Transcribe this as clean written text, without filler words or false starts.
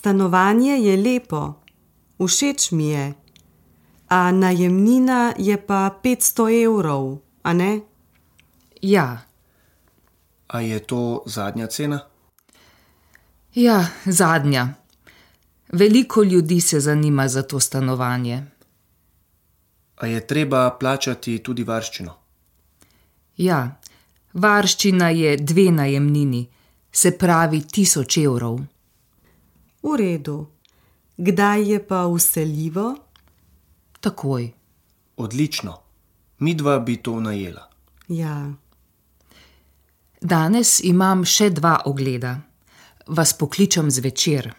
Stanovanje je lepo, všeč mi je, a najemnina je pa 500 evrov, a ne? Ja. A je to zadnja cena? Ja, zadnja. Veliko ljudi se zanima za to stanovanje. A je treba plačati tudi varščino? Ja, varščina je 2 najemnini, se pravi 1000 evrov. V redu. Kdaj je pa vseljivo? Takoj. Odlično. Midva bi to najela. Ja. Danes imam še 2 ogleda. Vas pokličem zvečer.